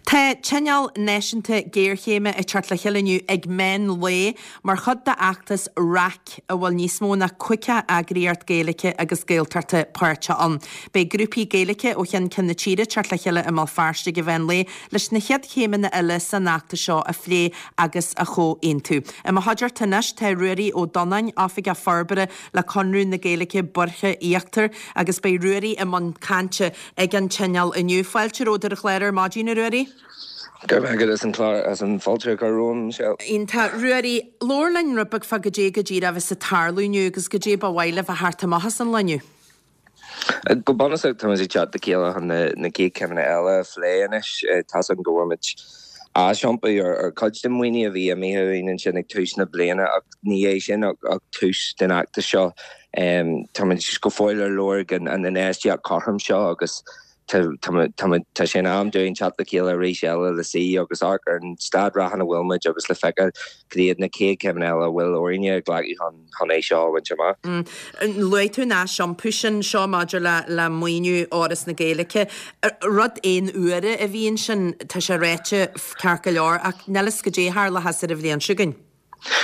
Tá Tionól Náisiúnta Géarchéime ag teacht le chéile inniu ag meán lae mar chuid d'fheachtas RAC a bhfuil níos mó ná 50 eagraíocht Gaeilge agus Gaeltachta páirteach ann. Beidh grúpaí Gaeilge ó cheann ceann na tíre ag teacht le chéile i mBéal Feirste ag an mheán lae leis na chéad chéimeanna eile san fheachtas seo a phlé agus a chomhaontú. I mo chuideachta anois tá Ruairí Ó Donnáin, Oifigeach Forbartha le Conradh na Gaeilge Boirche Íochtar agus beidh Ruairí i mbun cainte ag an Tionól inniu. Fáilte romhat ar an chlár ar maidin, a Ruairí. Go raibh maith agat as an chlár, as an fáilte a chur romham, Michelle. Iontach. Ruairí, labhair linn rud beag fá goidé go díreach a bheas ag tarlú inniu agus goidé ba mhaith libh a theacht amach as an lá inniu. Go bunúsach, táimid ag teacht le chéile chun na chéad chéimeanna eile a phlé anois. Tá's agam go bhfuair muid aisiompú ar chuid den mhaoiniú a bhí imithe uainn ansin ag tús na bliana ach ní hé sin ach tús den fheachtas seo. Táimid go fóill ar lorg an infheistíocht chothrom seo agus tá sé in am dúinn teacht le chéile arís eile le suí agus amharc ar an staid reatha ina bhfuil muid agus le feiceáil cad iad na chéad chéimeanna eile a bhfuil orainne a ghlacadh chun chun é seo a bhaint amach. Luaigh tú an aisiompú sin seo maidir le le maoiniú Fhoras na Gaeilge. Rud aon uaire a bhí ansin, tá sé ráite ceart go leor, ach níl fhios goidé a tharlóchas ar an bhliain seo chugainn.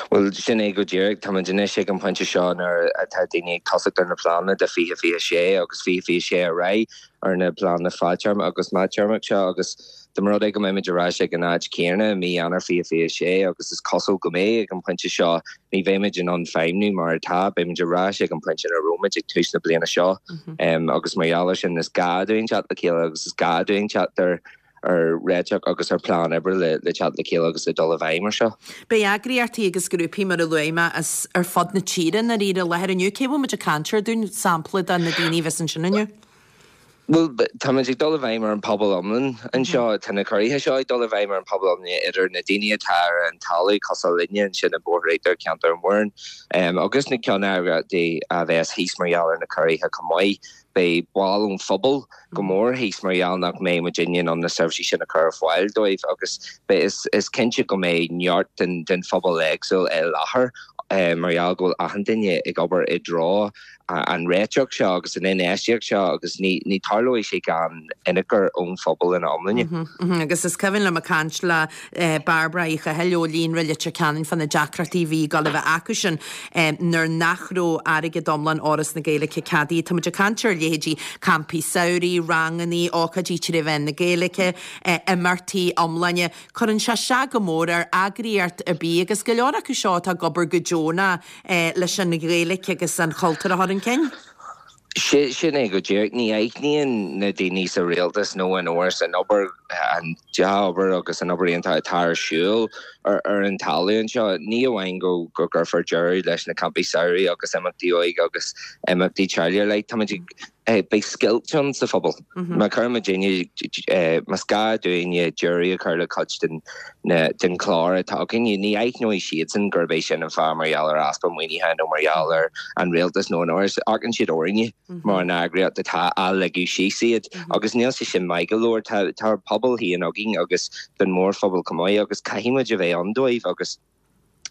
Bhuel, sin é go díreach. Táimid anois ag an bpointe seo nuair atá daoine ag tosacht ar na pleananna do 2026 agus 2026 ar aghaidh ar na pleananna fadtéarma agus meántéarmach seo agus dá mba rud é go mbeimid ar ais ag an áit chéanna i mí Eanáir 2026 agus is cosúil go mbeidh ag an bpointe seo, ní bheimid in ann feidhmniú mar atá, beimid ar ais ag an bpointe ina raibh muid ag tús na bliana seo agus mar gheall air sin is gá dúinn teacht le chéile agus is gá dúinn teacht ar ar réiteach agus ar phlean oibre le teacht le chéile agus le dul i bhfeidhm ar seo. Beidh eagraíochtaí agus grúpaí, mar a luaigh mé, as ar fud na tíre i ndáiríre i láthair inniu. Cé a bhfuil muid ag caint air dúinn, sampla de na daoine a bheas ansin inniu? Bhuel, táimid ag dul i bhfeidhm ar an pobal iomlán anseo. Tá na ciorruithe seo ag dul i bhfeidhm ar an pobal iomlán, idir na daoine atá ar an talamh, cosúil linne ansin i mBóthar Íochtar, Ceantar an Mhúrn, agus na ceanneagraíochtaí a bheas thíos mar gheall ar na ciorruithe chomh maith. Beidh baill ón phobal go mór thíos mar gheall nach mbeidh muidinne in ann na seirbhísí sin a chur ar fáil dóibh agus beidh, is cinnte go mbeidh neart den phobal éagsúil i láthair mar gheall go bhfuil achan duine ag obair i dtreo an réiteach seo agus an infheistíocht seo agus ní tarlóidh sé gan ionchur ón phobal ina iomláine. Agus is cuimhin liom ag caint le Bairbre Uí Chathail ó Líonra Leitir Ceanainn fá na deacrachtaí a bhí ag dul a bheith acusan nuair nach raibh airgead iomlán Fhoras na Gaeilge ceadaithe. Tá muid ag caint ar leithéidí campaí samhraidh, rangannaí, ócáidí tré mheán na Gaeilge, imeachtaí iomláine. Cuireann sé isteach go mór ar eagraíocht ar bith agus go leor acu seo atá ag obair go deonach leis an Ghaeilge agus an chultúr a chur chun cinn. Sin é go díreach. Ní aithníonn na daoine sa rialtas nó in Fhoras an obair, an dea-obair agus an obair iontach atá ar siúl ar an talamh anseo. Ní amháin go gcuirfear deireadh leis na campaí samhraidh agus imeachtaí óige agus imeachtaí teaghlaigh ar leith, táimid ag Beidh scoilt ann sa phobal. Má chuireann muidinne, más gá dúinne deireadh a chur le cuid den den chlár atá againne, ní aithneoidh siadsan gurb é sin an fáth mar gheall ar easpa maoinithe nó mar gheall ar an rialtas nó an Fhoras. Amharcann siad orainne mar an eagraíocht atá á ligeadh síos iad agus níl sé sin maith go leor. Tá ár bpobal féin againn agus don mhórphobal chomh maith agus caithfidh muid a bheith ann dóibh agus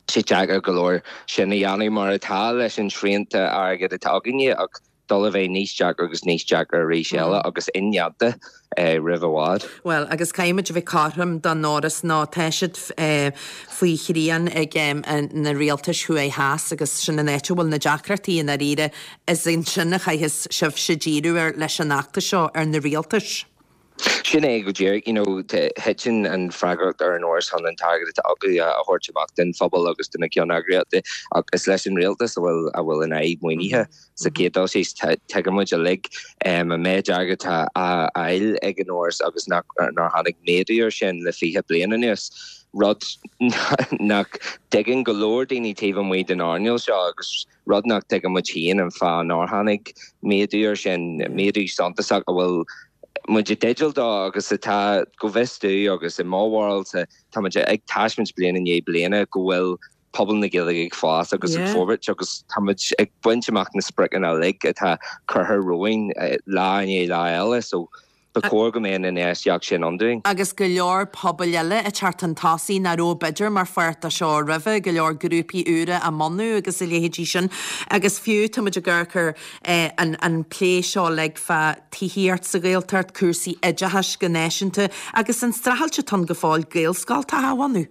sé deacair go leor sin a dhéanamh mar atá leis an srianta airgid atá againne ach dul a bheith níos deacra agus níos deacra arís eile agus indéanta roimh i bhfad. Bhuel, agus caithfidh muid a bheith cothrom don Fhoras nó tá siad faoi shrian ag na rialtais thuaidh theas agus sin an áit a bhfuil na deacrachtaí i ndáiríre. Is ansin a chaithfeas sibhse díriú air leis an fheachtas seo, ar na rialtais. Sin é go díreach, you know, thiteann an freagracht ar an Fhoras chun an t-airgead atá acu a thabhairt amach don phobal agus do na ceanneagraíochtaí ach is leis an rialtas a bhfuil a bhfuil an fhadhb maoinithe. Sa chéad dul síos, tuigeann muid uilig an méid airgid atá á fháil ag an Fhoras agus nach nár tháinig méadú air sin le 20 bliain anuas, rud nach dtuigeann go leor daoine taobh amuigh den earnáil seo agus rud nach dtuigeann muid féin an fáth nár tháinig méadú air sin, méadú suntasach a bhfuil muid i dteideal dó agus atá, go bhfios domh agus i mo bharúilsa, tá muid ag taispeáint bliain i ndiaidh bliana go bhfuil pobal na Gaeilge ag fás agus ag forbairt agus tá muid ag baint amach na spriocanna uilig atá curtha romhainn lá i ndiaidh lá eile. So. Ba chóir go mbeadh an infheistíocht sin ann dúinn. Agus go leor pobail eile ag teacht chun tosaigh nach raibh b'fhéidir mar pháirt de seo roimhe, go leor grúpaí úra á mbunú agus a leithéidí sin. Agus fiú tá muid ag amharc ar an plé seo uilig fá tithíocht sa Ghaeltacht, cúrsaí oideachais go náisiúnta agus an streachailt atá ann go fóill Gaelscoltacha a bhunú.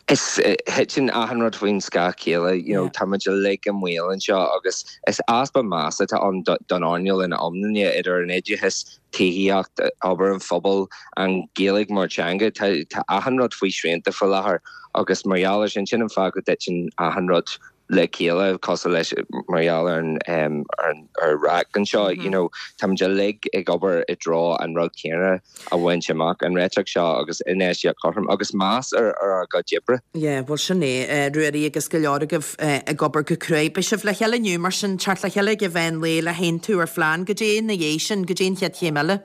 Is thiteann achan rud faoin scáth chéile, you know, tá muid uilig i mbaol anseo agus is easpa measa atá ann don earnáil ina iomláine, idir an oideachas, tithíocht, obair an phobail, an Ghaeilge mar teanga, tá tá achan rud faoi srianta faoi láthair agus mar gheall ar sin, sin an fáth go dtiteann achan rud le chéile cosúil leis mar gheall ar an ar RAC anseo you know táimid uilig ag obair i dtreo an rud céanna a bhaint amach, an réiteach seo agus infheistíocht chothrom agus meas ar ár gcuid oibre. Yeah, bhuel sin é, Ruairí agus go leor agaibh ag obair go cruaidh. Beidh sibh le chéile inniu mar sin, teacht le chéile ag an mheán lae le haontú ar phlean. Goidé ina dhiaidh sin, goidé an chéad chéim eile?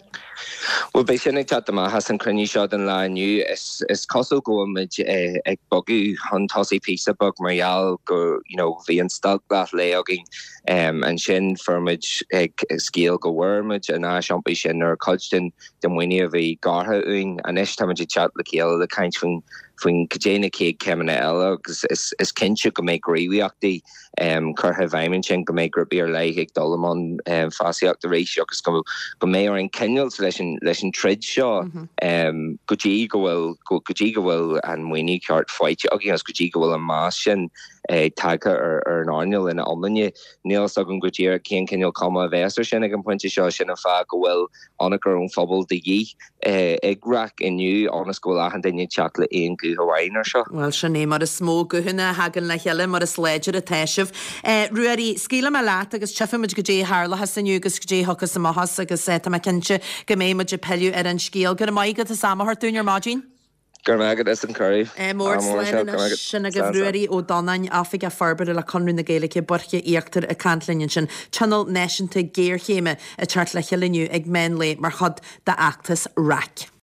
Bhuel, beidh sin ag teacht amach as an chruinniú seo don lá inniu. Is cosúil go bhfuil muid ag bogadh chun tosaigh píosa beag mar gheall go, you know, bhí an stailc leath lae againn. Ansin fuair muid scéal go bhfuair muid an áis iompair sin ar chuid den den mhaoiniú a bhí gearrtha uainn. Anois tá muid ag teacht le chéile le caint faoin faoin cad é na chéad chéimeanna eile agus is cinnte go mbeidh gníomhaíochtaí curtha i bhfeidhm ansin, go mbeidh grúpaí ar leith ag dul i mbun feasaíochta arís agus go mbeidh orainn coinneáilt leis an leis an troid seo go dtí go bhfuil go dtí go bhfuil an maoiniú ceart faighte againn agus go dtí go bhfuil an meas sin tagtha ar ar an earnáil ina iomláine. Níl a fhios agam go díreach cén cineál cuma a bheas air sin ag an bpointe seo, sin an fáth go bhfuil ionchur ón phobal de dhíth ag RAC inniu ionas go bhfuil achan duine ag teacht le aon ghuth amháin air seo. Bhuel, sin é, mar is mó guthanna a thagann le chéile, mar is láidre atá sibh. Ruairí, scaoilfidh mé leat agus tchífimid goidé a tharlóchas inniu agus goidé a thiocfas amach as agus tá mé cinnte go mbeidh muid ag pilleadh ar an scéal. Go raibh maith agat as am a thabhairt dúinn ar maidin. Go raibh maith agat as an cuireadh. Ádh mór, slán anois. Sin agaibh Ruairí Ó Donnáin, Oifigeach Forbartha le Conradh na Gaeilge, Boirche Íochtar ag caint linn ansin. Tionól Náisiúnta Géarchéime ag teacht le chéile inniu ag meán lae mar chuid d'fheachtas RAC.